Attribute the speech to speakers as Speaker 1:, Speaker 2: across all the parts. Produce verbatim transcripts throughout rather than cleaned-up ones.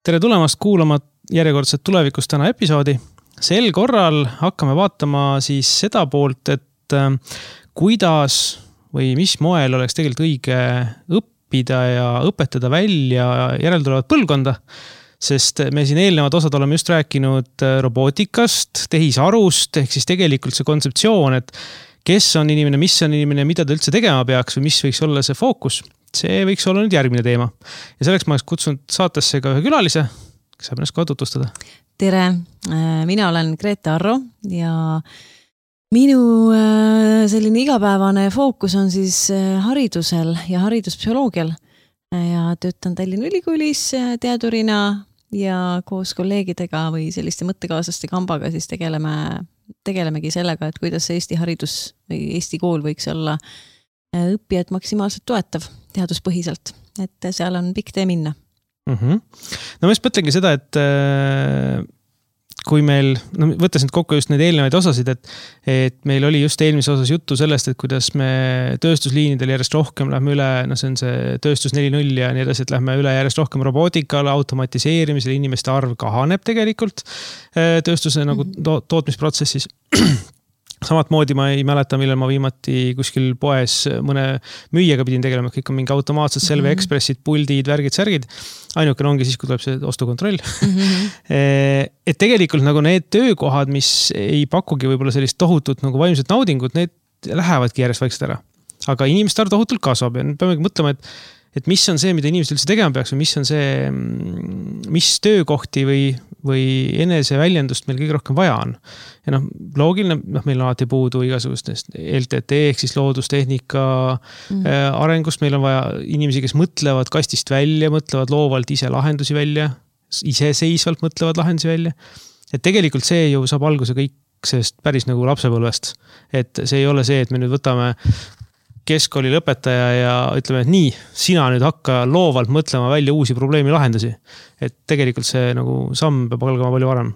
Speaker 1: tere tulemast kuulama järjekordset tulevikust täna episoodi. Sel korral hakkame vaatama siis seda poolt, et kuidas või mis moel oleks tegelikult õige õppida ja õpetada välja järeltulevat põlvkonda. Sest me siin eelnevad osad oleme just rääkinud robootikast, tehisarust, ehk siis tegelikult see kontseptsioon, et kes on inimene, mis on inimene, mida ta üldse tegema peaks või mis võiks olla see fookus. See võiks olla nüüd järgmine teema. Ja selleks ma oleks kutsunud saatesse ka ühe külalise, kes saab ennast kohe tutvustada.
Speaker 2: Tere, mina olen Grete Arro ja minu selline igapäevane fookus on siis haridusel ja hariduspsühholoogial ja töötan Tallinna Ülikoolis teadurina ja koos kolleegidega või selliste mõttekaaslaste kambaga siis tegeleme, tegelemegi sellega, et kuidas Eesti haridus või Eesti kool võiks olla õppijad maksimaalselt toetav teaduspõhiselt, et seal on pikk tee minna.
Speaker 1: Mm-hmm. No ma just mõtlengi seda, et kui meil, no võttes nüüd kokku just need eelnevaid osasid, et, et meil oli just eelmise osas juttu sellest, et kuidas me tööstusliinidel järjest rohkem lähme üle, no see on see tööstus neli null ja nii edasi, et lähme üle järjest rohkem robootikale, automatiseerimisele, inimeste arv kahaneb tegelikult tööstuse nagu to- tootmisprotsessis. Samat moodi ma ei mäleta, millal ma viimati kuskil poes mõne müüjaga pidin tegelema, kõik on mingi automaatsed Selve mm-hmm. Expressid, puldid, värgid, särgid. Ainukene ongi siis, kui tuleb see ostukontroll. Mm-hmm. Et tegelikult nagu need töökohad, mis ei pakugi võib-olla sellist tohutut nagu vaimset naudingut, need lähevadki järjest vaikselt ära. Aga inimeste arv tohutult kasvab ja peame mõtlema, et et mis on see, mida inimesed üldse tegema peaks või mis on see, mis töökohti või, või enese väljendust meil kõige rohkem vaja on. Ja noh, loogiline, noh, meil on alati puudu igasugustest L T T ehk siis loodustehnika mm. arengust. Meil on vaja inimesi, kes mõtlevad kastist välja, mõtlevad loovalt ise lahendusi välja, iseseisvalt mõtlevad lahendusi välja. Et tegelikult see ju saab alguse kõik sellest päris nagu lapsepõlvest. Et see ei ole see, et me nüüd võtame keskkooli lõpetaja ja ütleme, et nii, sina nüüd hakka loovalt mõtlema välja uusi probleemi lahendusi. Et tegelikult see nagu samm peab algama palju varem.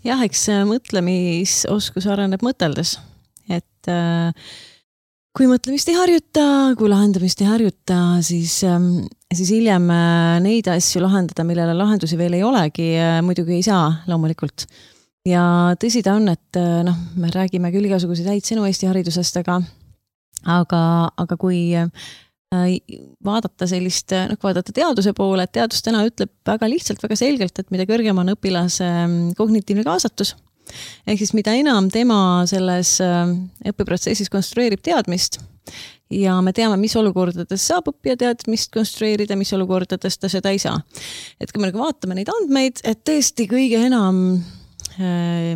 Speaker 2: Jah, eks mõtlemisoskus areneb mõteldes. Et äh, kui mõtlemist ei harjuta, kui lahendamist ei harjuta, siis, äh, siis hiljem neid asju lahendada, millele lahendusi veel ei olegi, äh, muidugi ei saa loomulikult. Ja tõsi ta on, et äh, noh, me räägime küll igasuguseid häid sõnu Eesti haridusest, aga Aga, aga kui vaadata sellist, noh, vaadata teaduse poole, et teadus täna ütleb väga lihtsalt, väga selgelt, et mida kõrgem on õpilase kognitiivne kaasatus, ehk siis mida enam tema selles õppeprotsessis konstrueerib teadmist ja me teame, mis olukordades saab õppija teadmist konstrueerida, mis olukordades ta seda ei saa. Et kui me vaatame neid andmeid, et tõesti kõige enam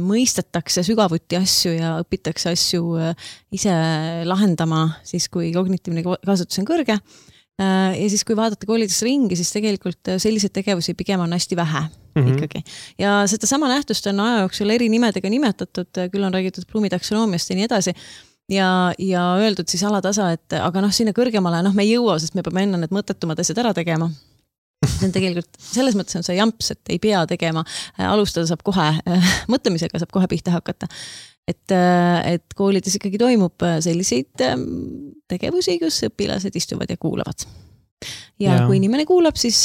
Speaker 2: mõistetakse sügavuti asju ja õpitakse asju ise lahendama, siis kui kognitiivne kaasatus on kõrge. Ja siis kui vaadata koolides ringi, siis tegelikult selliseid tegevusi pigem on hästi vähe mm-hmm. ikkagi. Ja seda sama nähtust on aja jooksul eri nimedega nimetatud, küll on räägitud Bloomi taksonoomist ja nii edasi. Ja, ja öeldud siis alatasa, et aga noh, sinna kõrgemale noh, me ei jõua, sest me peame enne need mõttetumad asjad ära tegema. See on tegelikult, selles mõttes on see jamps, et ei pea tegema, alustada saab kohe, mõtlemisega saab kohe pihta hakata. Et, et koolides ikkagi toimub selliseid tegevusi, kus õpilased istuvad ja kuulavad. Ja, ja kui inimene kuulab, siis,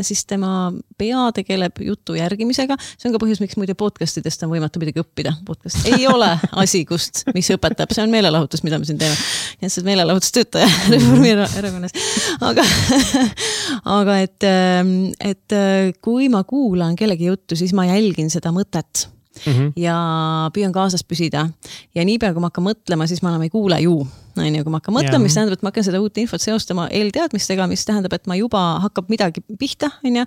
Speaker 2: siis tema pea tegeleb jutu järgimisega. See on ka põhjus, miks muide podcastidest on võimatu midagi õppida. Podcast ei ole asi, kust, mis õpetab. See on meelelahutus, mida me siin teeme. Ja see on meelelahutustöötaja Reformierakonnas. Aga, aga et, et kui ma kuulan kellegi juttu, siis ma jälgin seda mõtet. Mm-hmm. Ja püüan kaasas püsida ja niipea kui ma hakkan mõtlema, siis ma enam ei kuule ju, kui ma hakkan mõtlema, mis tähendab, et ma hakkan seda uut infot seostama eelteadmistega, mis tähendab, et ma juba hakkab midagi pihta, või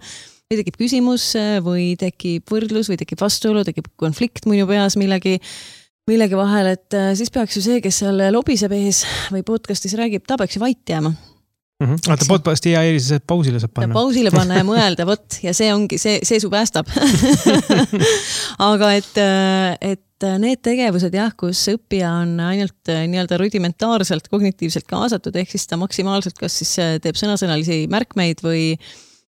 Speaker 2: tekib küsimus või tekib võrdlus või tekib vastuolu, tekib konflikt minu peas millegi, millegi vahel, et siis peaks ju see, kes seal lobiseb ees või podcastis räägib, ta peaks ju vait jääma.
Speaker 1: Mm-hmm. Vaata podcasti ja eelis, et pausile saab panna.
Speaker 2: Ja pausile panna ja mõelda, võt, ja see ongi, see, see su päästab. Aga et, et need tegevused, jah, kus õppija on ainult nii-öelda rudimentaarselt, kognitiivselt kaasatud, ehk siis ta maksimaalselt kas siis teeb sõnasõnalisi märkmeid või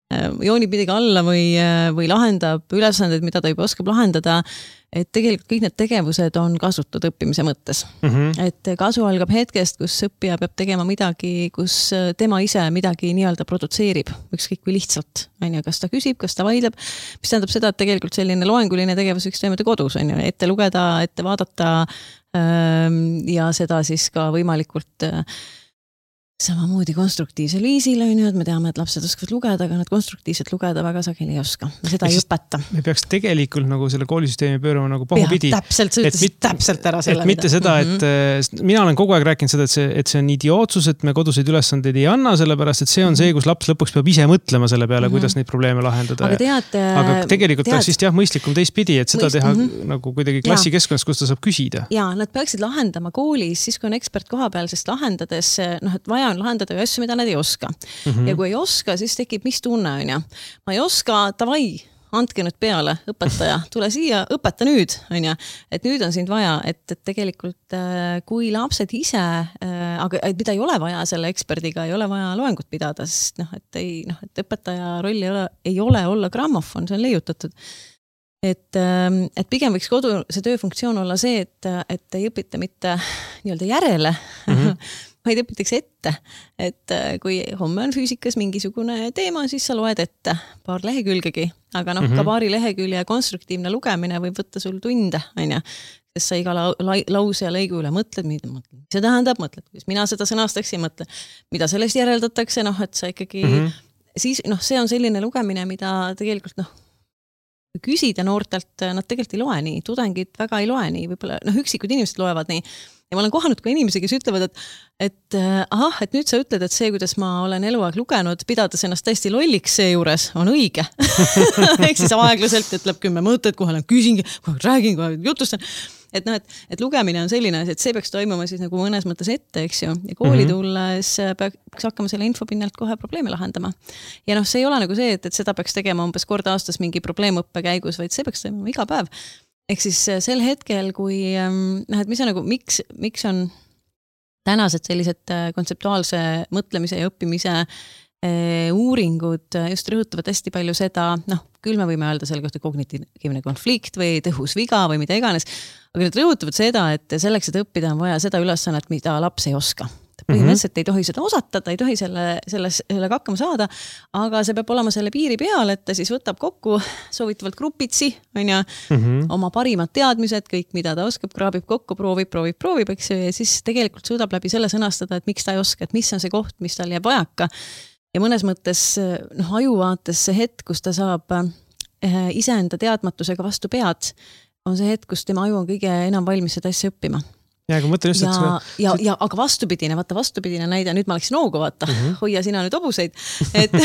Speaker 2: joonib midagi alla või, või lahendab ülesanded, mida ta juba oskab lahendada, et tegelikult kõik need tegevused on kasutud õppimise mõttes. Mm -hmm. Et kasu algab hetkest, kus õppija peab tegema midagi, kus tema ise midagi nii-öelda produtseerib, ükskõik kui lihtsalt, on ju, kas ta küsib, kas ta vaidleb, mis tähendab seda, et tegelikult selline loenguline tegevus võiks toimuda kodus, on ju, ette lugeda, ette vaadata ja seda siis ka võimalikult samamoodi konstruktiivsel viisil, on ju, et me teame, et lapsed oskavad lugeda, aga nad konstruktiivselt lugeda väga sageli ei oska. Seda ei õpeta.
Speaker 1: Me peaks tegelikult nagu selle koolisüsteemi pöörama nagu pahupidi.
Speaker 2: Täpselt, sa ütlesid täpselt ära selle.
Speaker 1: Et mitte seda, et mm-hmm. mina olen kogu aeg rääkinud seda, et see, et see on idiootsus, et me koduseid ülesandeid ei anna, sellepärast, et see on see, kus laps lõpuks peab ise mõtlema selle peale, mm-hmm. kuidas neid probleeme lahendada.
Speaker 2: Aga, tead,
Speaker 1: aga tegelikult tead, oleks vist jah mõistlikum teistpidi, et seda Mõist, teha mm-hmm. nagu kuidagi klassikeskkonnas, kus ta saab küsida.
Speaker 2: Ja, nad peaksid lahendama koolis, siis kui on ekspert koha peal, sest lahendades, noh, et vaja on lahendada ju asju, mida nad ei oska. Mm-hmm. Ja kui ei oska, siis tekib mis tunne, on ju. Ma ei oska, tavai, andke nüüd peale, õpetaja, tule siia, õpeta nüüd, on ju. Et nüüd on sind vaja, et, et tegelikult kui lapsed ise, aga mida ei ole vaja selle eksperdiga, ei ole vaja loengut pidada, sest noh, et, ei, noh, et õpetaja roll ei ole, ei ole olla grammofon, see on leiutatud. Et, et pigem võiks kodu see tööfunktsioon olla see, et, et ei õpita mitte nii-öelda järele, mm-hmm. vaid õpitakse ette, et kui homme on füüsikas mingisugune teema, siis sa loed ette paar lehekülgegi, aga noh, mm-hmm. ka paari lehekülje konstruktiivne lugemine võib võtta sul tunde, on ju, sest sa iga la la lause ja lõigu üle mõtled, mida see tähendab, mõtled, kuidas mina seda sõnastaksin, mõtle, mida sellest järeldatakse, noh, et sa ikkagi mm-hmm. siis, noh, see on selline lugemine, mida tegelikult, noh, küsida noortelt, nad tegelikult ei loe nii, tudengid väga ei loe nii, võib-olla, noh, üksikud inimesed loevad nii. Ja ma olen kohanud ka inimesi, kes ütlevad, et, et ahah, et nüüd sa ütled, et see, kuidas ma olen eluaeg lugenud, pidades ennast täiesti lolliks seejuures, on õige. Ehk siis aeglaselt ütleb kümme mõtet, kohe olen küsingi, kohe räägin, kohe jutustan. Et, noh, et, et lugemine on selline, et see peaks toimuma siis nagu mõnes mõttes ette, eks ju. Ja kooli tulles peaks hakkama selle infopinnalt kohe probleeme lahendama. Ja noh, see ei ole nagu see, et, et seda peaks tegema umbes kord aastas mingi probleemõppe käigus, vaid see peaks toimuma iga päev. Ehk siis sel hetkel, kui, noh, et mis on nagu, miks, miks on tänased sellised kontseptuaalse mõtlemise ja õppimise uuringud just rõhutavad hästi palju seda, noh, küll me võime öelda selle kohta kognitiivne konflikt või tõhus viga või mida iganes, aga need rõhutavad seda, et selleks, et õppida on vaja seda ülesannet, mida laps ei oska. Põhimõtteliselt ei tohi seda osata, ta ei tohi selle, selles, sellega hakkama saada, aga see peab olema selle piiri peal, et ta siis võtab kokku soovitavalt grupitsi, on ja mm-hmm. oma parimad teadmised, kõik, mida ta oskab, kraabib kokku, proovib, proovib, proovib, eks ju, ja siis tegelikult suudab läbi selle sõnastada, et miks ta ei oska, et mis on see koht, mis tal jääb vajaka. Ja mõnes mõttes, noh, ajuvaates see hetk, kus ta saab iseenda teadmatusega vastu pead, on see hetk, kus tema aju on kõige enam valmis seda asja õppima.
Speaker 1: Ja, aga mõtlen just,
Speaker 2: ja,
Speaker 1: et seda...
Speaker 2: ja, ja aga vastupidine, vaata vastupidine näide, nüüd ma läksin noogu, vaata, mm-hmm. hoia sina nüüd obuseid, et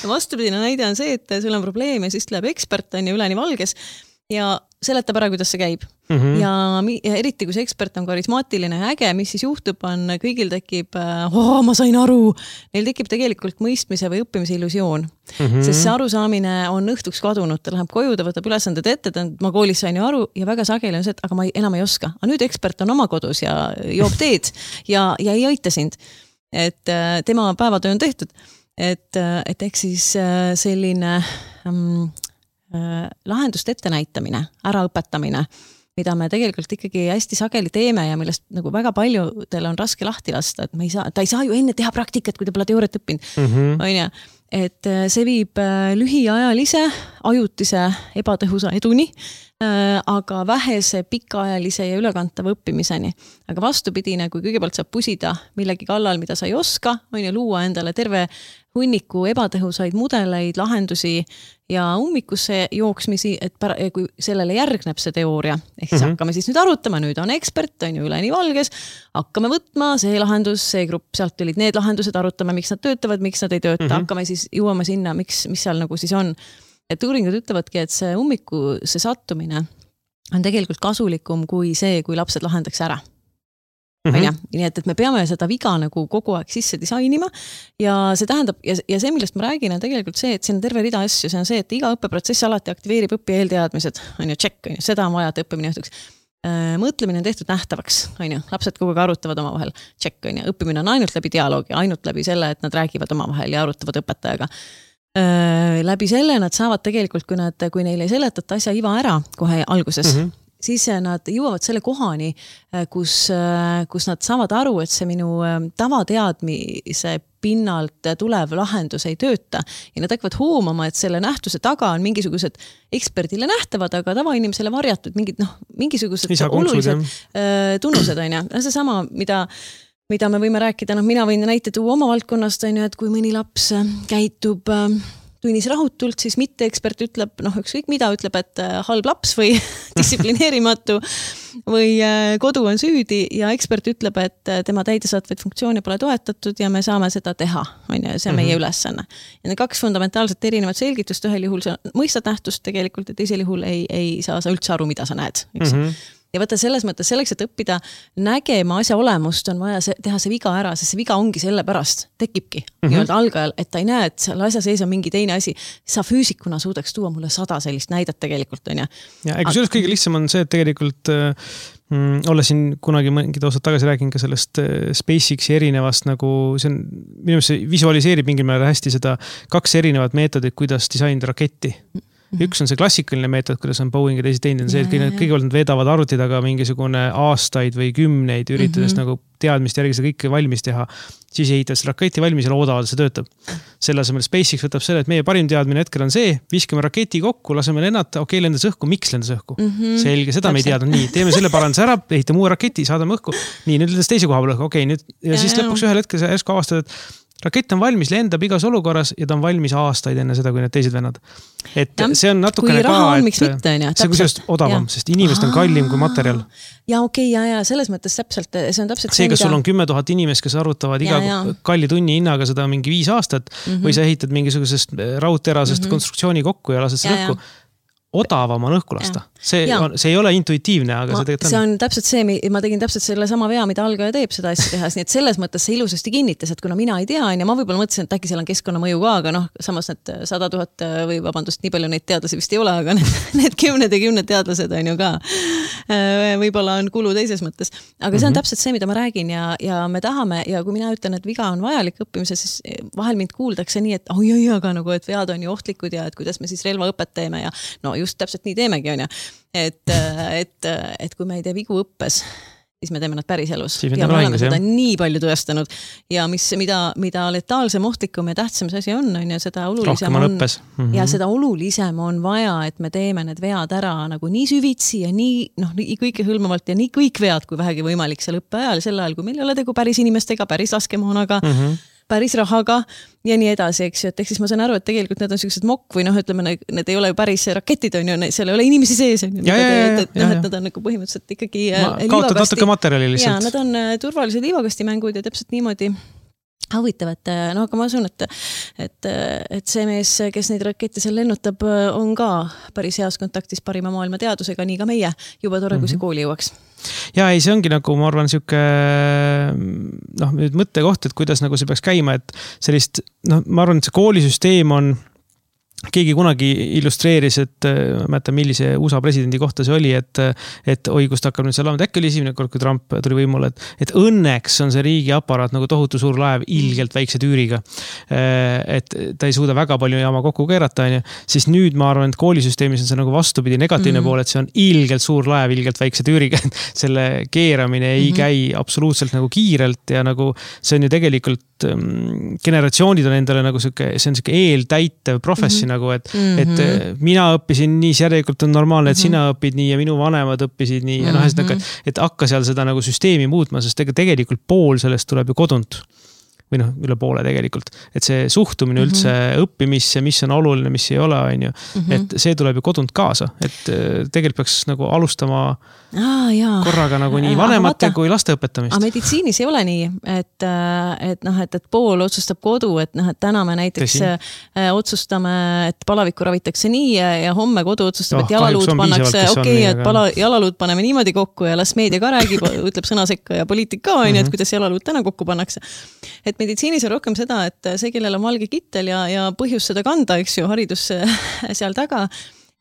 Speaker 2: vastupidine näide on see, et sul on probleem ja siis tuleb ekspert, on ju üleni valges ja seletab ära, kuidas see käib. Mm-hmm. Ja, ja eriti, kui see ekspert on karismaatiline ja äge, mis siis juhtub, on kõigil tekib, oh, ma sain aru, neil tekib tegelikult mõistmise või õppimise illusioon. Mm-hmm. Sest see arusaamine on õhtuks kadunud, ta läheb koju, ta võtab ülesanded ette, ta, ma koolis sain ju aru ja väga sageli on see, et aga ma ei, enam ei oska. Aga nüüd ekspert on oma kodus ja joob teed ja, ja ei aita sind. Et tema päevatöö on tehtud. Et, et eks siis selline... Um, lahendust ette näitamine, äraõpetamine, mida me tegelikult ikkagi hästi sageli teeme ja millest nagu väga paljudel on raske lahti lasta, et me ei saa, ta ei saa ju enne teha praktikat, kui ta pole teooriat õppinud. Mm-hmm. On ja, et see viib lühiajalise, ajutise, ebatõhusa eduni, aga vähese pikaajalise ja ülekantava õppimiseni. Aga vastupidine, kui kõigepealt saab pusida millegi kallal, mida sa ei oska, on ju luua endale terve hunniku ebatõhusaid mudeleid, lahendusi ja ummikusse jooksmisi, et pära, kui sellele järgneb see teooria, ehk siis mm-hmm. hakkame siis nüüd arutama, nüüd on ekspert, on ju üleni valges, hakkame võtma see lahendus, see grupp, sealt tulid need lahendused, arutame, miks nad töötavad, miks nad ei tööta, mm-hmm. hakkame siis jõuama sinna, miks, mis seal nagu siis on. Et uuringud ütlevadki, et see ummiku, see sattumine on tegelikult kasulikum kui see, kui lapsed lahendaks ära. Mm-hmm. Nii et, et me peame seda viga nagu kogu aeg sisse disainima ja see tähendab, ja, ja see, millest ma räägin, on tegelikult see, et siin on terve rida asju, see on see, et iga õppeprotsess alati aktiveerib õppija eelteadmised, on ju, check, on ju, seda on vaja, et õppimine õhtuks. Mõtlemine on tehtud nähtavaks, on ju, lapsed kogu aeg arutavad oma vahel, check, on ju, õppimine on ainult läbi dialoogi, ainult läbi selle, et nad räägivad oma vahel ja arutavad õpetajaga. läbi selle nad saavad tegelikult, kui nad, kui neile ei seletata asja iva ära kohe alguses, mm -hmm. siis nad jõuavad selle kohani, kus, kus nad saavad aru, et see minu tavateadmise pinnalt tulev lahendus ei tööta ja nad hakkavad hoomama, et selle nähtuse taga on mingisugused eksperdile nähtavad, aga tavainimesele varjatud mingid, noh, mingisugused olulised tunnused, on ja see sama, mida mida me võime rääkida, noh, mina võin näite tuua oma valdkonnast, on ju, et kui mõni laps käitub tunnis rahutult, siis mitte ekspert ütleb, noh, ükskõik mida ütleb, et halb laps või distsiplineerimatu või kodu on süüdi ja ekspert ütleb, et tema täidesaatvaid funktsioone pole toetatud ja me saame seda teha, on ju, see on meie ülesanne. Ja need kaks fundamentaalselt erinevat selgitust, ühel juhul sa mõistad nähtust tegelikult ja teisel juhul ei, ei saa sa üldse aru, mida sa näed, eks? Mm -hmm. Ja võtta selles mõttes selleks, et õppida nägema asja olemust, on vaja see, teha see viga ära, sest see viga ongi selle pärast, tekibki mm -hmm. nii-öelda algajal, et ta ei näe, et seal asja sees on mingi teine asi. Sa füüsikuna suudaks tuua mulle sada sellist näidet tegelikult, on ja. Ja ega
Speaker 1: sellest kõige lihtsam on see, et tegelikult mm, olla siin kunagi mingid osad tagasi räägin ka sellest SpaceXi erinevast nagu, see on, minu see visualiseerib mingil määral hästi seda kaks erinevat meetodit, kuidas disainida raketti. Üks on see klassikaline meetod, kuidas on Boeing ja teisi teinud, on see, et kõigepealt nad veedavad arvuti taga mingisugune aastaid või kümneid, üritades mm -hmm. nagu teadmist järgi seda kõike valmis teha. Siis ehitavad see raketi valmis ja loodavad, see töötab. Selle asemel SpaceX võtab selle, et meie parim teadmine hetkel on see, viskame raketi kokku, laseme lennata, okei, lendas õhku, miks lendas õhku? Mm -hmm. Selge, seda Täpselt. Me ei teadnud. Nii, teeme selle paranduse ära, ehitame uue raketi, saadame õhku. Nii, nüüd lendas teise koha peal õhku, okei, nüüd ja, ja siis ja, lõpuks ühel hetkel sa järsku avastad, et rakett on valmis, lendab igas olukorras ja ta on valmis aastaid enne seda, kui need teised vennad. Et ja, see on natukene ka,
Speaker 2: on,
Speaker 1: et
Speaker 2: miks mitte, on, ja,
Speaker 1: see on kusjuures odavam, ja. Sest inimest on kallim kui materjal.
Speaker 2: Ja okei, okay, ja, ja selles mõttes täpselt, see on täpselt
Speaker 1: see, kas mida... sul on kümme tuhat inimest, kes arvutavad iga ja, ja. kalli tunni hinnaga seda mingi viis aastat mm -hmm. või sa ehitad mingisugusest raudterasest mm -hmm. konstruktsiooni kokku ja lased seda õhku. Odavam on õhku lasta. See, on, see ei ole intuitiivne, aga
Speaker 2: ma,
Speaker 1: see tegelikult on.
Speaker 2: See on täpselt see, ma tegin täpselt selle sama vea, mida algaja teeb seda asja tehas, nii et selles mõttes see ilusasti kinnitas, et kuna mina ei tea, ja ma võib-olla mõtlesin, et äkki seal on keskkonnamõju ka, aga noh, samas need sada tuhat või vabandust, nii palju neid teadlasi vist ei ole, aga need, need kümned ja kümned teadlased on ju ka. Võib-olla on kulu teises mõttes. Aga see on mm -hmm. täpselt see, mida ma räägin ja, ja me tahame ja kui mina ütlen, et viga on vajalik õppimise, siis vahel mind kuuldakse nii, et oi, oi, aga nagu, et vead on ju ohtlikud ja et kuidas me siis relvaõpet teeme ja no just täpselt nii teemegi, on ju. Et, et, et kui me ei tee vigu õppes, siis me teeme nad päris elus. Ja me oleme seda nii palju tõestanud. Ja mis, mida, mida letaalsem, ohtlikum ja tähtsam see asi on, on ja seda olulisem on, on mm -hmm. ja seda olulisem on vaja, et me teeme need vead ära nagu nii süvitsi ja nii, noh, nii kõike hõlmavalt ja nii kõik vead, kui vähegi võimalik seal õppeajal, sel ajal, kui meil ei ole tegu päris inimestega, päris laskemoonaga, mm -hmm. päris rahaga ja nii edasi, eks ju, et ehk siis ma saan aru, et tegelikult need on sellised mokk või noh, ütleme, need ei ole ju päris raketid, on ju, seal ei ole inimesi sees, on ju,
Speaker 1: ja, ja, ja,
Speaker 2: et, et, noh, et nad on nagu põhimõtteliselt ikkagi
Speaker 1: kaotad natuke materjali lihtsalt.
Speaker 2: Ja, nad on turvalised liivakastimängud ja täpselt niimoodi huvitav, et no aga ma asun, et, et, et see mees, kes neid rakette seal lennutab, on ka päris heas kontaktis parima maailma teadusega, nii ka meie, juba tore, kui see kooli jõuaks.
Speaker 1: Ja ei, see ongi nagu, ma arvan, siuke noh, nüüd mõttekoht, et kuidas nagu see peaks käima, et sellist, noh, ma arvan, et see koolisüsteem on keegi kunagi illustreeris, et ma mäletan, millise U S A presidendi kohta see oli, et, et oi, kust hakkab nüüd see laamad, äkki oli esimene kord, kui Trump tuli võimule, et, et õnneks on see riigi aparaat nagu tohutu suur laev ilgelt väikse tüüriga. Et ta ei suuda väga palju jaama kokku keerata, on ju. Siis nüüd ma arvan, et koolisüsteemis on see nagu vastupidi negatiivne mm -hmm. pool, et see on ilgelt suur laev ilgelt väikse tüüriga. Selle keeramine ei mm -hmm. käi absoluutselt nagu kiirelt ja nagu see on ju tegelikult generatsioonid on endale nagu siuke, see on siuke eeltäitev professi mm -hmm. nagu, et, mm -hmm. et mina õppisin nii, siis järelikult on normaalne, et mm -hmm. sina õpid nii ja minu vanemad õppisid nii ja noh, et, mm -hmm. et hakka seal seda nagu süsteemi muutma, sest tegelikult pool sellest tuleb ju kodunt. Või noh, üle poole tegelikult. Et see suhtumine üldse mm -hmm. õppimisse, mis on oluline, mis ei ole, on ju. Mm -hmm. Et see tuleb ju kodunt kaasa. Et tegelikult peaks nagu alustama
Speaker 2: ah, jaa.
Speaker 1: korraga nagu nii vanemate ah, kui laste õpetamist.
Speaker 2: Aga meditsiinis ei ole nii, et, et, noh, et, et pool otsustab kodu, et, noh, et täna me näiteks Tõsi. otsustame, et palavikku ravitakse nii ja, ja homme kodu otsustab, oh, et jalaluud pannakse, okei, okay, et pala, jalaluud paneme niimoodi kokku ja las meedia ka räägib, ütleb sõna sekka ja poliitik ka, on ju, et kuidas jalaluud täna kokku pannakse. Et meditsiinis on rohkem seda, et see, kellel on valge kittel ja, ja põhjus seda kanda, eks ju, haridus seal taga,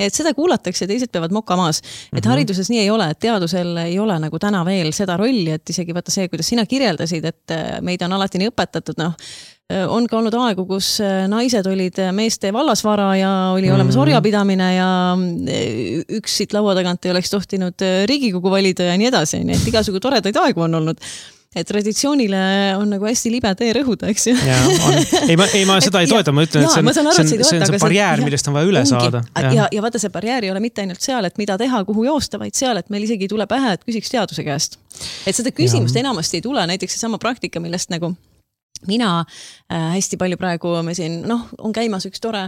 Speaker 2: et seda kuulatakse ja teised peavad moka maas. Et mm-hmm. hariduses nii ei ole, et teadusel ei ole nagu täna veel seda rolli, et isegi vaata see, kuidas sina kirjeldasid, et meid on alati nii õpetatud, noh, on ka olnud aegu, kus naised olid meeste vallasvara ja oli olemas
Speaker 1: Mhm.
Speaker 2: orjapidamine ja üks siit laua tagant ei oleks tohtinud Riigikogu valida ja nii edasi, nii et igasugu toredaid aegu on olnud. Et traditsioonile on nagu hästi libe tee rõhuda, eks ju.
Speaker 1: Ja, on. Ei, ma, ei, ma seda ei toeta, ma ütlen, et see on,
Speaker 2: aru,
Speaker 1: see on,
Speaker 2: see
Speaker 1: see on see barjäär, millest on vaja üle
Speaker 2: ongi.
Speaker 1: saada.
Speaker 2: Ja. Ja, ja vaata, see barjäär ei ole mitte ainult seal, et mida teha, kuhu joosta, vaid seal, et meil isegi tuleb pähe, et küsiks teaduse käest. Et seda küsimust ja. enamasti ei tule, näiteks see sama praktika, millest nagu mina äh, hästi palju praegu me siin, noh, on käimas üks tore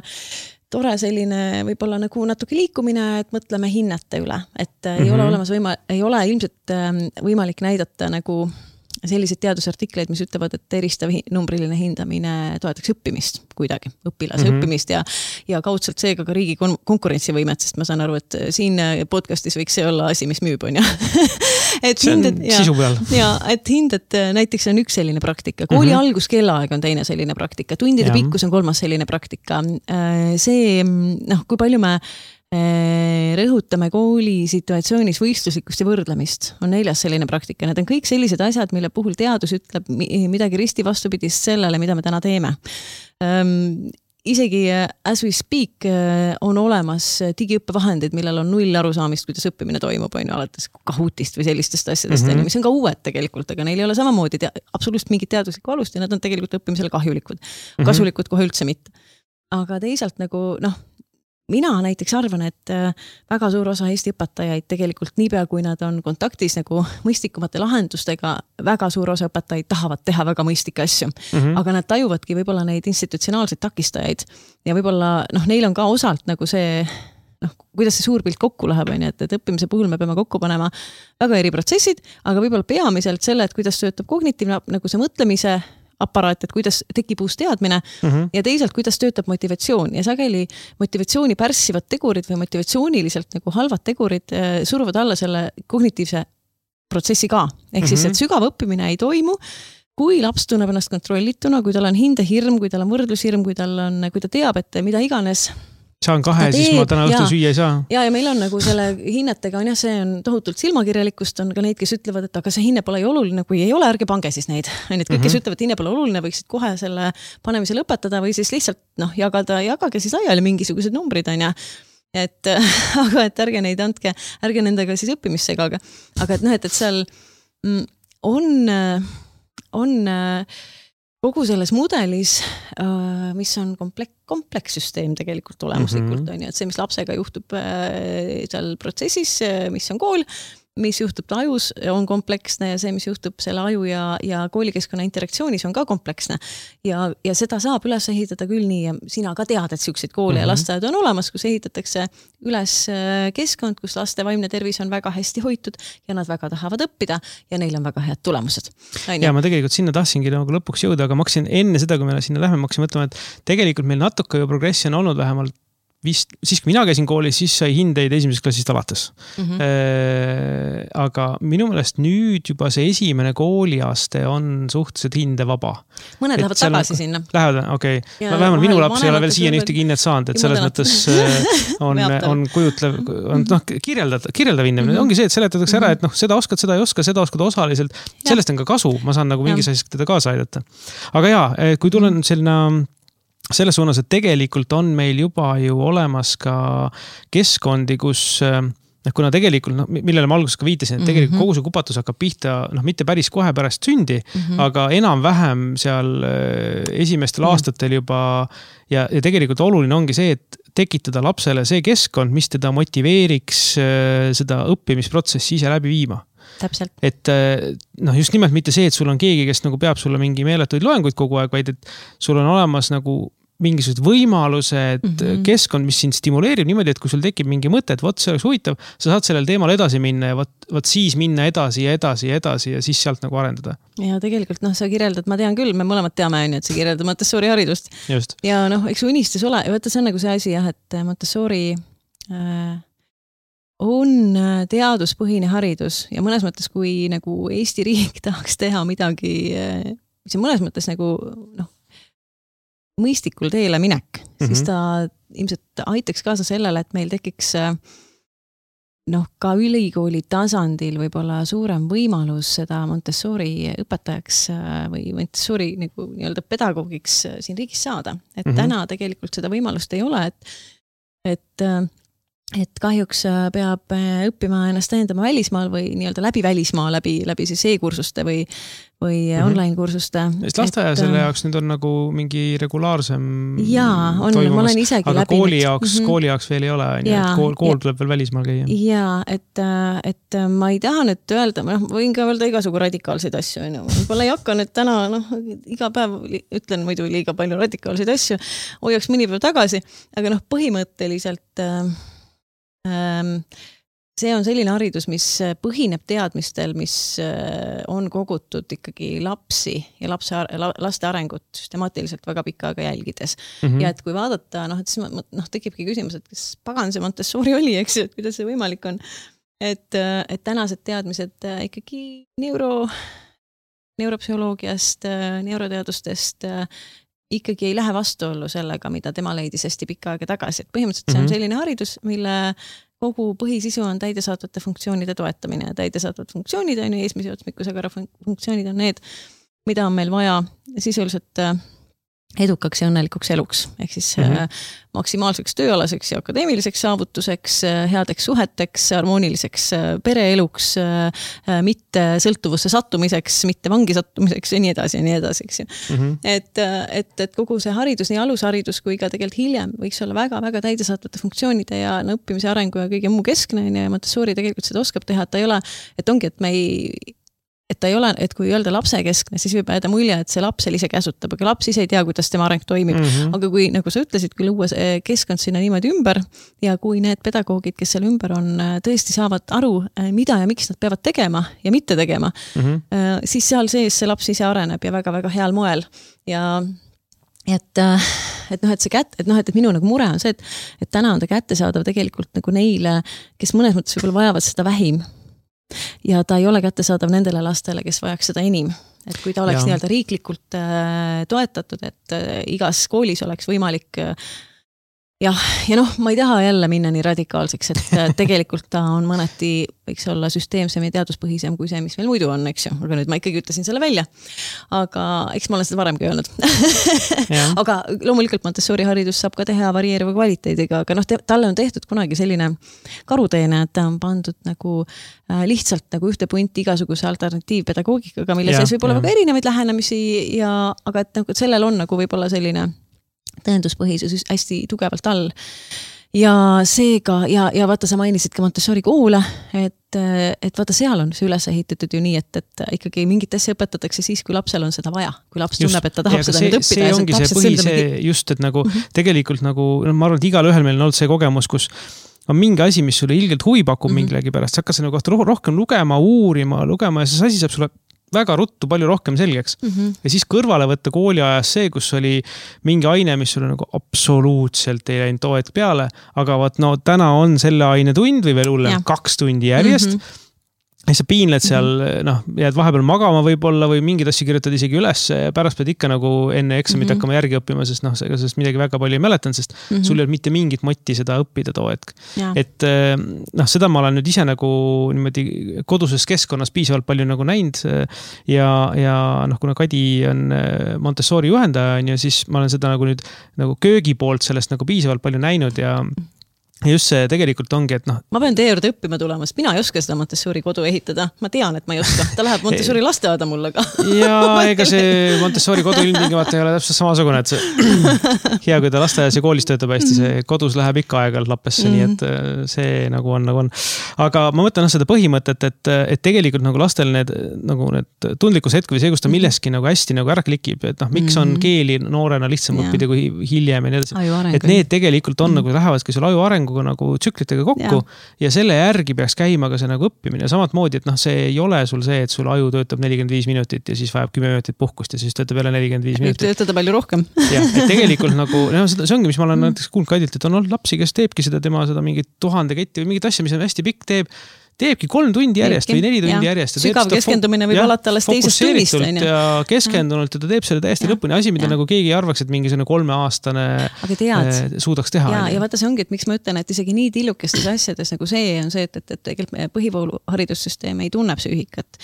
Speaker 2: tore selline võib-olla nagu natuke liikumine, et mõtleme hinnete üle, et mm-hmm. ei ole olemas võima, ei ole ilmselt võimalik näidata nagu sellised teadusartikleid, mis ütlevad, et eristav numbriline hindamine toetaks õppimist kuidagi, õpilase mm-hmm. õppimist ja, ja kaudselt seega ka riigi kon- konkurentsivõimet, sest ma saan aru, et siin podcastis võiks see olla asi, mis müüb, on ju. et
Speaker 1: see on
Speaker 2: hinded,
Speaker 1: sisu peal.
Speaker 2: Ja, et hinded näiteks on üks selline praktika. Kooli mm-hmm. alguskellaaeg on teine selline praktika. Tundide ja. pikkus on kolmas selline praktika. See, noh, kui palju me rõhutame kooli situatsioonis võistluslikkust ja võrdlemist, on neljas selline praktika. Need on kõik sellised asjad, mille puhul teadus ütleb midagi risti vastupidist sellele, mida me täna teeme. Isegi as we speak on olemas digiõppevahendid, millel on null arusaamist, kuidas õppimine toimub, on ju, alates Kahootist või sellistest asjadest, mm-hmm. mis on ka uued tegelikult, aga neil ei ole samamoodi te- absoluutselt mingit teaduslikku alust ja nad on tegelikult õppimisele kahjulikud. Kasulikud mm-hmm. kohe üldse mitte. Aga teisalt nagu, noh, mina näiteks arvan, et väga suur osa Eesti õpetajaid tegelikult niipea, kui nad on kontaktis nagu mõistlikumate lahendustega, väga suur osa õpetajaid tahavad teha väga mõistlikke asju. Mm-hmm. Aga nad tajuvadki võib-olla neid institutsionaalseid takistajaid ja võib-olla noh, neil on ka osalt nagu see, noh, kuidas see suur pilt kokku läheb, on, et, et õppimise puhul me peame kokku panema väga eri protsessid, aga võib-olla peamiselt selle, et kuidas töötab kognitiivne nagu see mõtlemise aparaat, et kuidas tekib uus teadmine mm-hmm. ja teisalt, kuidas töötab motivatsioon ja sageli motivatsiooni pärssivad tegurid või motivatsiooniliselt nagu halvad tegurid äh, suruvad alla selle kognitiivse protsessi ka. Ehk mm-hmm. siis, et sügav õppimine ei toimu, kui laps tunneb ennast kontrollituna, kui tal on hindehirm, kui tal on võrdlushirm, kui tal on, kui ta teab, et mida iganes
Speaker 1: saan kahe, siis ma täna õhtul süüa ei saa.
Speaker 2: Ja, ja meil on nagu selle hinnetega on jah, see on tohutult silmakirjalikkust, on ka neid, kes ütlevad, et aga see hinne pole ju oluline, kui ei ole, ärge pange siis neid. Need kõik, kes mm-hmm. ütlevad, et hinne pole oluline, võiksid kohe selle panemise lõpetada või siis lihtsalt noh, jagada, jagage siis laiali mingisugused numbrid on ja et, aga et ärge neid andke, ärge nendega siis õppimisse segaga. Aga et noh, et, et seal on, on kogu selles mudelis, mis on komplek, komplekssüsteem tegelikult olemuslikult, mm-hmm. on ju, et see, mis lapsega juhtub seal protsessis, mis on kool, mis juhtub ta ajus, on kompleksne ja see, mis juhtub selle aju ja, ja koolikeskkonna interaktsioonis on ka kompleksne. Ja, ja seda saab üles ehitada küll nii ja sina ka tead, et selliseid koole mm-hmm. ja lasteaed on olemas, kus ehitatakse üles keskkond, kus laste vaimne tervis on väga hästi hoitud ja nad väga tahavad õppida ja neil on väga head tulemused.
Speaker 1: Ja ma tegelikult sinna tahtsingi nagu lõpuks jõuda, aga ma hakkasin enne seda, kui me sinna lähme, ma hakkasin mõtlema, et tegelikult meil natuke ju progressi on olnud vähemalt vist, siis kui mina käisin koolis, siis sai hindeid esimesest klassist alates. Mm-hmm. Äh, aga minu meelest nüüd juba see esimene kooliaste on suhteliselt hindevaba.
Speaker 2: Mõned et lähevad tagasi on, sinna.
Speaker 1: Lähevad, okei. Okay. Vähemalt minu laps ei ole veel siiani ühtegi hinnet saanud, et selles mõttes on, on kujutlev, on noh, kirjeldada, kirjeldav hindamine. Mm-hmm. Ongi see, et seletatakse ära, et noh, seda oskad, seda ei oska, seda oskad osaliselt. Sellest on ka kasu, ma saan nagu mingis asjas teda kaasa aidata. Aga jaa, kui tulen selline selles suunas, et tegelikult on meil juba ju olemas ka keskkondi, kus kuna tegelikult, no, millele ma alguses ka viitasin, et tegelikult mm-hmm. kogu see kupatus hakkab pihta, noh, mitte päris kohe pärast sündi, mm-hmm. aga enam-vähem seal esimestel mm-hmm. aastatel juba ja, ja tegelikult oluline ongi see, et tekitada lapsele see keskkond, mis teda motiveeriks seda õppimisprotsessi ise läbi viima.
Speaker 2: Täpselt.
Speaker 1: Et noh, just nimelt mitte see, et sul on keegi, kes nagu peab sulle mingi meeletuid loenguid kogu aeg, vaid et sul on olemas nagu mingisugused võimalused, mm-hmm. keskkond, mis sind stimuleerib niimoodi, et kui sul tekib mingi mõte, et võt, see oleks huvitav, sa saad sellel teemal edasi minna ja võt, võt siis minna edasi ja edasi ja edasi ja siis sealt nagu arendada. Ja
Speaker 2: tegelikult noh, sa kirjeldad, ma tean küll, me mõlemad teame, et see kirjeldab Montessori haridust.
Speaker 1: Just.
Speaker 2: Ja noh, eks unistus ole, võtta see on nagu see asi jah, et Montessori äh, on teaduspõhine haridus ja mõnes mõttes, kui nagu Eesti riik tahaks teha midagi, mis on mõnes mõttes nagu noh, mõistikul teele minek, mm-hmm. siis ta ilmselt aitaks kaasa sellele, et meil tekiks noh, ka ülikooli tasandil võib-olla suurem võimalus seda Montessori õpetajaks või Montessori nagu nii-öelda pedagoogiks siin riigis saada. Et mm-hmm. täna tegelikult seda võimalust ei ole, et, et et kahjuks peab õppima ennast täiendama välismaal või nii-öelda läbi välismaa, läbi, läbi siis e-kursuste või, või mm-hmm. online kursuste.
Speaker 1: Sest lasteaia selle jaoks nüüd on nagu mingi regulaarsem
Speaker 2: jaa, on, ma olen isegi
Speaker 1: aga
Speaker 2: läbi.
Speaker 1: Kooli jaoks, mm-hmm. kooli jaoks veel ei ole, jaa, et kool, kool tuleb veel välismaal käia.
Speaker 2: Jaa, et, et ma ei taha nüüd öelda, ma võin ka öelda igasugu radikaalseid asju, võib-olla ei hakka nüüd täna, noh, iga päev ütlen muidu liiga palju radikaalseid asju, hoiaks mõni päev tagasi, aga noh, põhimõtteliselt see on selline haridus, mis põhineb teadmistel, mis on kogutud ikkagi lapsi ja lapse, laste arengut süstemaatiliselt väga pikka aega jälgides. Mm-hmm. Ja et kui vaadata, noh, et siis noh, tekibki küsimus, et kas pagan see Montessori oli, eks ju, et kuidas see võimalik on. Et, et tänased teadmised ikkagi neuro, neuropsühholoogiast, neuroteadustest ikkagi ei lähe vastuollu sellega, mida tema leidis hästi pikka aega tagasi. Et põhimõtteliselt see on selline haridus, mille kogu põhisisu on täidesaatvate funktsioonide toetamine. Täidesaatvate funktsioonid on ju eesmise otsmikkusega funktsioonid on need, mida on meil vaja sisuliselt edukaks ja õnnelikuks eluks. Ehk siis mm-hmm. maksimaalseks tööalaseks ja akadeemiliseks saavutuseks, headeks suheteks, harmooniliseks pereeluks, mitte sõltuvusse sattumiseks, mitte vangi sattumiseks ja nii edasi ja nii edasi. Eks ju. Mm-hmm. Et, et, et kogu see haridus, nii alusharidus kui ka tegelikult hiljem võiks olla väga-väga täidesaatvate funktsioonide ja no, õppimise arengu ja kõige muu keskne ja Montessori tegelikult seda oskab teha, et ta ei ole, et ongi, et me ei et ta ei ole, et kui öelda lapse keskne, siis võib jääda mulje, et see laps ise käsutab, aga laps ise ei tea, kuidas tema areng toimib. Mm-hmm. Aga kui, nagu sa ütlesid, kui luua keskkond sinna niimoodi ümber ja kui need pedagoogid, kes seal ümber on, tõesti saavad aru, mida ja miks nad peavad tegema ja mitte tegema, mm-hmm. siis seal sees see laps ise areneb ja väga-väga heal moel. Ja et, et noh, et see kätt, et noh, et minu nagu mure on see, et, et täna on ta kättesaadav tegelikult nagu neile, kes mõnes mõttes võib-olla vajavad seda vähim. Ja ta ei ole kättesaadav nendele lastele, kes vajaks seda enim. Et kui ta oleks nii-öelda riiklikult äh, toetatud, et äh, igas koolis oleks võimalik äh, jah, ja noh, ma ei taha jälle minna nii radikaalseks, et äh, tegelikult ta on mõneti, võiks olla süsteemsem ja teaduspõhisem kui see, mis meil muidu on, eks ju. Aga nüüd ma ikkagi ütlesin selle välja. Aga eks ma olen seda varemgi öelnud. Aga loomulikult Montessori haridus saab ka teha varieeriva kvaliteediga, aga noh, te, talle on tehtud kunagi selline karuteene, et ta on pandud nagu äh, lihtsalt nagu ühte punti igasuguse alternatiivpedagoogikaga, mille sees võib olla väga erinevaid lähenemisi, ja, aga et nagu, sellel on nagu võib-olla selline tõenduspõhisus hästi tugevalt all. Ja seega, ja, ja vaata, sa mainisid ka Montessori koole, et, et vaata, seal on see üles ehitatud ju nii, et, et ikkagi mingit asja õpetatakse siis, kui lapsel on seda vaja. Kui laps tunneb, et ta tahab seda
Speaker 1: see,
Speaker 2: nüüd õppida.
Speaker 1: See ongi see põhi, see just, et nagu mm-hmm. tegelikult nagu, ma arvan, et igal ühel meil on olnud see kogemus, kus on mingi asi, mis sulle ilgelt huvi pakub mm-hmm. mingilegi pärast. Sa hakkas nagu rohkem lugema, uurima, lugema ja see asi saab sulle väga ruttu palju rohkem selgeks. Mm-hmm. Ja siis kõrvale võtta kooli ajas see, kus oli mingi aine, mis sulle nagu absoluutselt ei läinud too hetk peale, aga vaat no täna on selle aine tund või veel hullem kaks tundi järjest. Mm-hmm. Ja sa piinled seal, mm-hmm. noh, jääd vahepeal magama võib-olla või mingid asju kirjutad isegi üles ja pärast pead ikka nagu enne eksamit mm-hmm. hakkama järgi õppima, sest noh, sest midagi väga palju ei mäletan, sest mm-hmm. sul ei ole mitte mingit motti seda õppida too hetk. Ja. Et noh, seda ma olen nüüd ise nagu niimoodi koduses keskkonnas piisavalt palju nagu näinud ja, ja noh, kuna Kadi on Montessori juhendaja, ja siis ma olen seda nagu nüüd nagu köögi poolt sellest nagu piisavalt palju näinud ja Ja just see tegelikult ongi, et noh...
Speaker 2: Ma pean teie juurde õppima tulema, sest mina ei oska seda Montessori kodu ehitada. Ma tean, et ma ei oska. Ta läheb Montessori lasteaeda mulle ka.
Speaker 1: Ja ega see Montessori kodu ilmtingimata ei ole täpselt samasugune, et see hea, kui ta lasteaias ja koolis töötab hästi, see kodus läheb ikka aegalt lappesse, mm. nii et see nagu on, nagu on. Aga ma mõtlen seda põhimõtet, et, et tegelikult nagu lastel need, nagu need tundlikus hetk või see, kus ta milleski nagu hästi nagu ära klikib, et noh, miks on keeli noorena lihtsam õppida kui hiljem ja nii edasi. Et need tegelikult on mm. nagu lähevadki sul aju arengu nagu tsüklitega kokku ja. ja selle järgi peaks käima ka see nagu õppimine. Samat moodi, et noh, see ei ole sul see, et sul aju töötab nelikümmend viis minutit ja siis vajab kümme minutit puhkust ja siis töötab jälle nelikümmend viis minutit.
Speaker 2: Võib töötada palju rohkem.
Speaker 1: Ja, et tegelikult nagu, no, see ongi, mis ma olen näiteks kuulnud Kadilt, et on olnud lapsi, kes teebki seda tema seda mingit tuhande ketti või mingit asja, mis on hästi pikk, teeb teebki kolm tundi järjest teebki, või neli tundi ja. järjest.
Speaker 2: Sügav keskendumine võib alata alles teisest tunnist.
Speaker 1: Ja keskendunult ja ta teeb selle täiesti ja. lõpuni. Asi, mida ja. nagu keegi arvaks, et mingisugune kolmeaastane tead, suudaks teha.
Speaker 2: Ja, ja vaata see ongi, et miks ma ütlen, et isegi nii tillukestes asjades nagu see on see, et, et, et tegelikult meie põhikoolu haridussüsteem ei tunne psüühikat.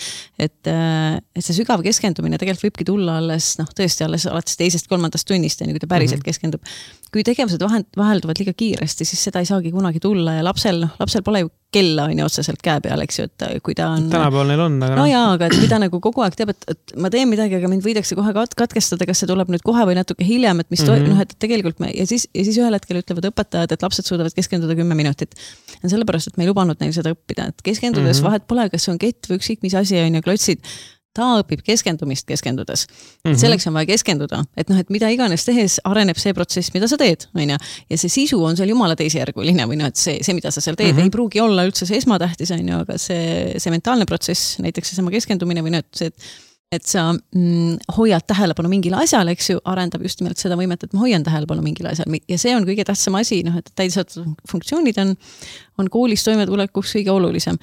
Speaker 2: Et, et see sügav keskendumine tegelikult võibki tulla alles, noh, tõesti alles alates teisest kolmandast tunnist, kui ta päriselt mm-hmm. keskendub. Kui tegevused vahelduvad liiga kiiresti, siis seda ei saagi kunagi tulla ja lapsel, noh, lapsel pole ju kella on ju otseselt käe peal, eks ju, et kui ta on...
Speaker 1: Tänapäeval neil on, aga...
Speaker 2: No jaa, aga et kui ta nagu kogu aeg teab, et, et ma teen midagi, aga mind võidakse kohe katkestada, kas see tuleb nüüd kohe või natuke hiljem, et mis mm-hmm. to... noh, et tegelikult me... Ja siis, ja siis ühel hetkel ütlevad õpetajad, et lapsed suudavad keskenduda kümme minutit. Ja sellepärast, et me ei lubanud neil seda õppida, et keskendudes mm-hmm. vahet pole, kas see on kett või ükskõik mis asi on ja klotsid, ta õpib keskendumist keskendudes. Mm-hmm. Selleks on vaja keskenduda, et noh, et mida iganes tehes areneb see protsess, mida sa teed, on ju. Ja see sisu on seal jumala teisejärguline või noh, et see, see, mida sa seal teed, mm-hmm. ei pruugi olla üldse see esmatähtis, on ju, aga see, see mentaalne protsess, näiteks see sama keskendumine või noh, et see, et, et sa mm, hoiad tähelepanu mingile asjale, eks ju, arendab just nimelt seda võimet, et ma hoian tähelepanu mingile asjale. Ja see on kõige tähtsam asi, noh, et täidesaatvad funktsioonid on, on koolis toimetulekuks kõige olulisem.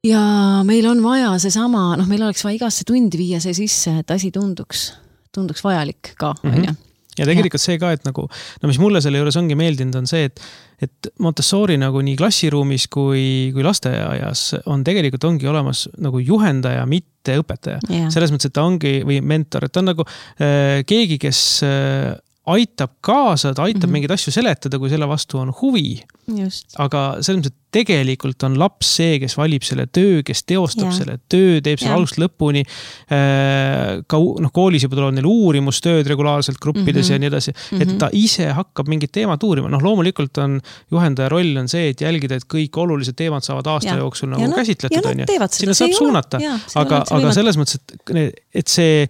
Speaker 2: Ja meil on vaja seesama, noh, meil oleks vaja igasse tundi viia see sisse, et asi tunduks, tunduks vajalik ka,
Speaker 1: mm-hmm.
Speaker 2: on ju.
Speaker 1: Ja tegelikult ja. see ka, et nagu, no mis mulle selle juures ongi meeldinud, on see, et, et Montessori nagu nii klassiruumis kui, kui lasteaias on tegelikult ongi olemas nagu juhendaja, mitte õpetaja. Yeah. Selles mõttes, et ta ongi, või mentor, et ta on nagu äh, keegi, kes äh, aitab kaasa, ta aitab mm-hmm. mingeid asju seletada, kui selle vastu on huvi.
Speaker 2: Just.
Speaker 1: Aga selles mõttes, et tegelikult on laps see, kes valib selle töö, kes teostab ja. selle töö, teeb selle algust lõpuni. Ka no, koolis juba tuleb neil uurimustööd regulaarselt gruppides mm-hmm. ja nii edasi. Mm-hmm. Et ta ise hakkab mingit teemat uurima. Noh, loomulikult on juhendaja roll on see, et jälgida, et kõik olulised teemad saavad aasta ja. jooksul nagu ja käsitletud.
Speaker 2: Ja nad teevad seda.
Speaker 1: Sinna saab suunata. Ja, aga, aga selles mõttes, et, et see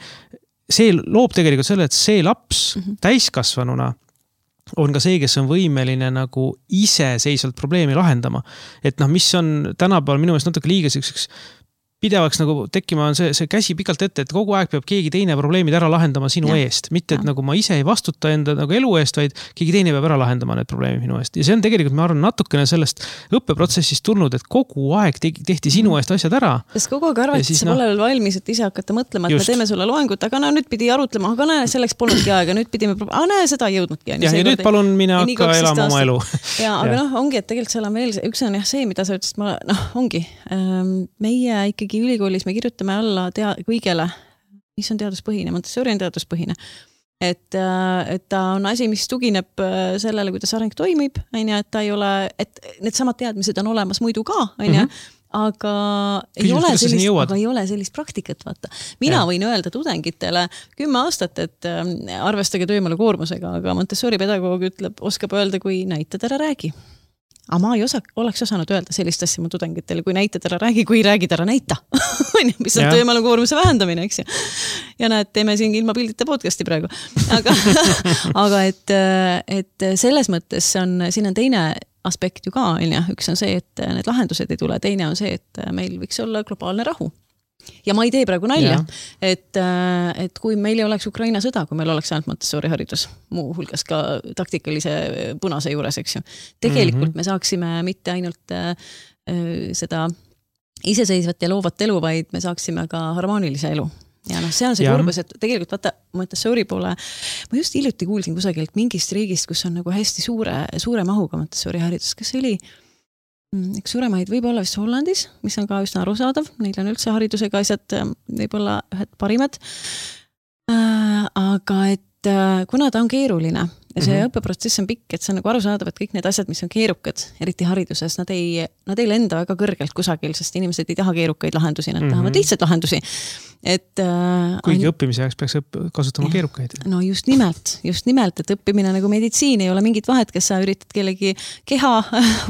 Speaker 1: see loob tegelikult selle, et see laps mm-hmm. täiskasvanuna on ka see, kes on võimeline nagu iseseisvalt probleemi lahendama. Et noh, mis on tänapäeval minu meelest natuke liiga selliseks pidevaks nagu tekkima on see, see käsi pikalt ette, et kogu aeg peab keegi teine probleemid ära lahendama sinu ja. eest. Mitte, et ja. nagu ma ise ei vastuta enda nagu elu eest, vaid keegi teine peab ära lahendama need probleemid minu eest. Ja see on tegelikult, ma arvan, natukene sellest õppeprotsessist tulnud, et kogu aeg tehti sinu eest asjad ära.
Speaker 2: Sest kogu aeg arvad, et sa pole veel valmis, et ise hakata mõtlema, et just. me teeme sulle loengut, aga no nüüd pidi arutlema, aga näe, selleks polnudki aega, nüüd pidime, aga näe, seda ei jõudnudki.
Speaker 1: Ja, ja nüüd palun mine hakka elama oma elu.
Speaker 2: Ja, aga noh, ongi, et tegelikult seal on veel, üks on jah see, mida sa ütlesid, ma, noh, ongi, meie ikkagi ülikoolis me kirjutame alla tea, kõigele, mis on teaduspõhine, Montessori on teaduspõhine. Et, et ta on asi, mis tugineb sellele, kuidas areng toimib, on ju, et ta ei ole, et need samad teadmised on olemas muidu ka, on ju, aga ei ole, sellist, aga ei ole sellist praktikat, vaata. Mina ja. võin öelda tudengitele kümme aastat, et arvestage töömale koormusega, aga Montessori pedagoog ütleb, oskab öelda, kui näitad ära räägi. Aga ma ei osa, oleks osanud öelda sellist asja mu tudengitele, kui näitad ära räägi, kui räägid ära näita. mis on töömaalu koormuse vähendamine, eks ju. Ja näed, teeme siin ilma pildita podcasti praegu. Aga, aga et, et selles mõttes on, siin on teine aspekt ju ka, üks on see, et need lahendused ei tule, teine on see, et meil võiks olla globaalne rahu. Ja ma ei tee praegu nalja, et, et kui meil ei oleks Ukraina sõda, kui meil oleks ainult Montessori haridus, muu hulgas ka taktikalise punase juures, eks ju. Tegelikult mm-hmm. me saaksime mitte ainult äh, seda iseseisvat ja loovat elu, vaid me saaksime ka harmoonilise elu. Ja noh, see on see kurbus, et tegelikult vaata Montessori poole, ma just hiljuti kuulsin kusagilt mingist riigist, kus on nagu hästi suure, suure mahuga Montessori haridus, kas see oli üks suuremaid võib-olla vist Hollandis, mis on ka üsna arusaadav, neil on üldse haridusega asjad võib-olla ühed parimad. Aga et kuna ta on keeruline ja see mm-hmm. õppeprotsess on pikk, et see on nagu arusaadav, et kõik need asjad, mis on keerukad, eriti hariduses, nad ei, nad ei lenda väga kõrgelt kusagil, sest inimesed ei taha keerukaid lahendusi, nad mm-hmm. tahavad lihtsalt lahendusi. Et,
Speaker 1: kuigi on, õppimise jaoks peaks kasutama keerukaid.
Speaker 2: No just nimelt, just nimelt, et õppimine nagu meditsiin ei ole mingit vahet, kes sa üritad kellegi keha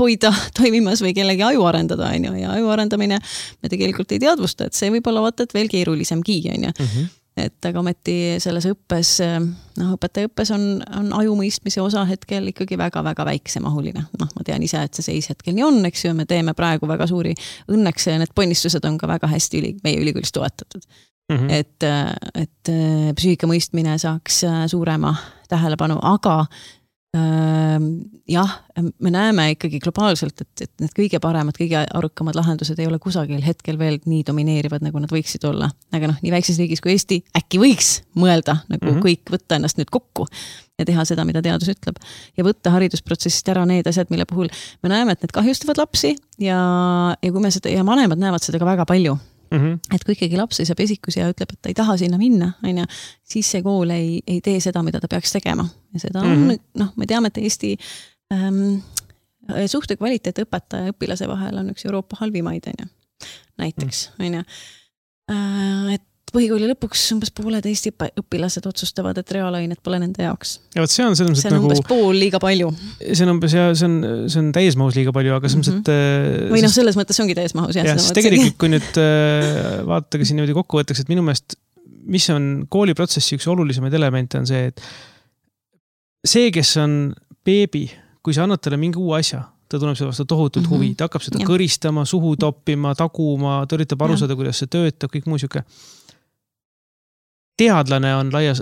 Speaker 2: hoida toimimas või kellegi aju arendada, on ju, ja aju arendamine me tegelikult ei teadvusta, et see võib olla vaata, et veel keerulisemgi, on ju. Mm-hmm. Et aga ometi selles õppes, noh, õpetaja õppes on, on aju mõistmise osa hetkel ikkagi väga-väga väiksemahuline. Noh, ma tean ise, et see seis hetkel nii on, eks ju, me teeme praegu väga suuri, õnneks need ponnistused on ka väga hästi üli, meie ülikoolis toetatud. Mm-hmm. Et, et psüühika mõistmine saaks suurema tähelepanu, aga jah, me näeme ikkagi globaalselt, et, et need kõige paremad, kõige arukamad lahendused ei ole kusagil hetkel veel nii domineerivad, nagu nad võiksid olla. Aga noh, nii väikses riigis kui Eesti äkki võiks mõelda, nagu mm -hmm. kõik võtta ennast nüüd kokku ja teha seda, mida teadus ütleb. Ja võtta haridusprotsessist ära need asjad, mille puhul me näeme, et need kahjustavad lapsi ja, ja kui me seda, ja vanemad näevad seda ka väga palju. Mm -hmm. Et kui ikkagi laps saab esikus ja ütleb, et ta ei taha sinna minna, on ja, siis see kool ei, ei tee seda, mida ta peaks tegema. Ja seda on, mm -hmm. noh, me teame, et Eesti ähm, suhte kvaliteet õpetaja ja õpilase vahel on üks Euroopa halvimaid, on ja, näiteks, on ja. Äh, et põhikooli lõpuks umbes pooled Eesti õpilased otsustavad, et reaalained pole nende jaoks.
Speaker 1: Ja võt, see on, see on,
Speaker 2: see on
Speaker 1: nagu,
Speaker 2: umbes pool liiga palju.
Speaker 1: See on umbes, ja see on, see on täismahus liiga palju, aga selles mõttes, et...
Speaker 2: Või noh, selles mõttes ongi täismahus.
Speaker 1: Ja, ja siis tegelikult, kui nüüd vaadatage siin niimoodi kokku võttaks, et minu meelest, mis on kooliprotsessi üks olulisemaid elemente on see, et see, kes on beebi, kui sa annad talle mingi uue asja, ta tunneb seda vastu tohutult mm -hmm. huvi, ta hakkab seda ja. kõristama, suhu toppima, taguma, ta üritab aru saada, kuidas see töötab, kõik muu siuke. Teadlane on laias,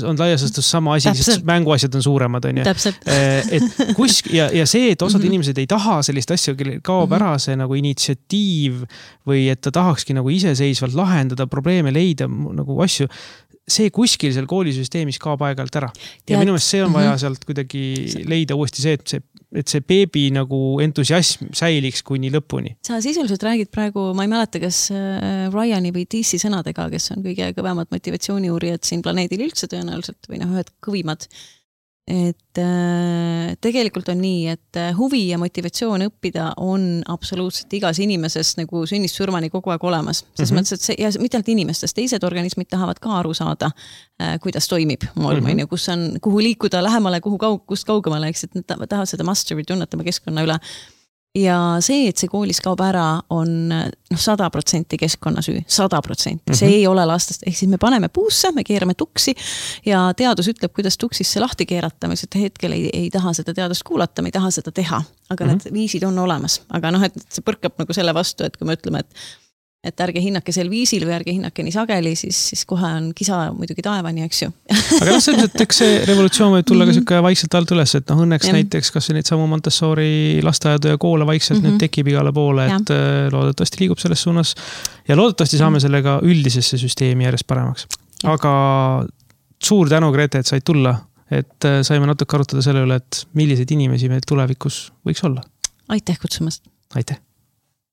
Speaker 1: on laiasastus sama asi, sest mänguasjad on suuremad, on ju. Et kusk, ja, ja see, et osad mm -hmm. inimesed ei taha sellist asja, kellel kaob mm -hmm. ära see nagu initsiatiiv või et ta tahakski nagu iseseisvalt lahendada probleeme, leida nagu asju, see kuskil seal koolisüsteemis kaob aeg-ajalt ära. Ja minu meelest see on vaja sealt kuidagi leida uuesti see, et see et see beebi nagu entusiasm säiliks kuni lõpuni.
Speaker 2: Sa sisuliselt räägid praegu, ma ei mäleta, kas Ryani või Deesi sõnadega, kes on kõige kõvemad motivatsiooniuurijad siin planeedil üldse tõenäoliselt või noh, ühed kõvimad. Et äh, tegelikult on nii, et huvi ja motivatsioon õppida on absoluutselt igas inimeses nagu sünnist surmani kogu aeg olemas. Ses mm -hmm. mõttes, et see, ja mitte ainult inimestest, teised organismid tahavad ka aru saada, äh, kuidas toimib maailm, mm -hmm. kus on, kuhu liikuda lähemale, kuhu kaug, kust kaugemale, eks, et nad tahavad seda mastery tunnetama keskkonna üle. Ja see, et see koolis kaob ära, on noh, sada protsenti keskkonna süü, sada protsenti. See ei ole lastest, ehk siis me paneme puusse, me keerame tuksi ja teadus ütleb, kuidas tuksisse lahti keerata, mis et hetkel ei, ei taha seda teadust kuulata, me ei taha seda teha, aga mm -hmm. need viisid on olemas. Aga noh, et see põrkab nagu selle vastu, et kui me ütleme, et et ärge hinnake sel viisil või ärge hinnake nii sageli, siis, siis kohe on kisa muidugi taevani, eks ju.
Speaker 1: Aga noh, selliselt, eks see revolutsioon võib tulla ka siuke vaikselt alt üles, et noh, õnneks ja. näiteks kas neid samu Montessori lasteaedu ja koole vaikselt mm -hmm. nüüd tekib igale poole, et ja. loodetavasti liigub selles suunas ja loodetavasti saame sellega üldisesse süsteemi järjest paremaks. Ja. Aga suur tänu, Grete, et said tulla, et saime natuke arutada selle üle, et milliseid inimesi meil tulevikus võiks olla.
Speaker 2: Aitäh kutsumast.
Speaker 1: Aitäh.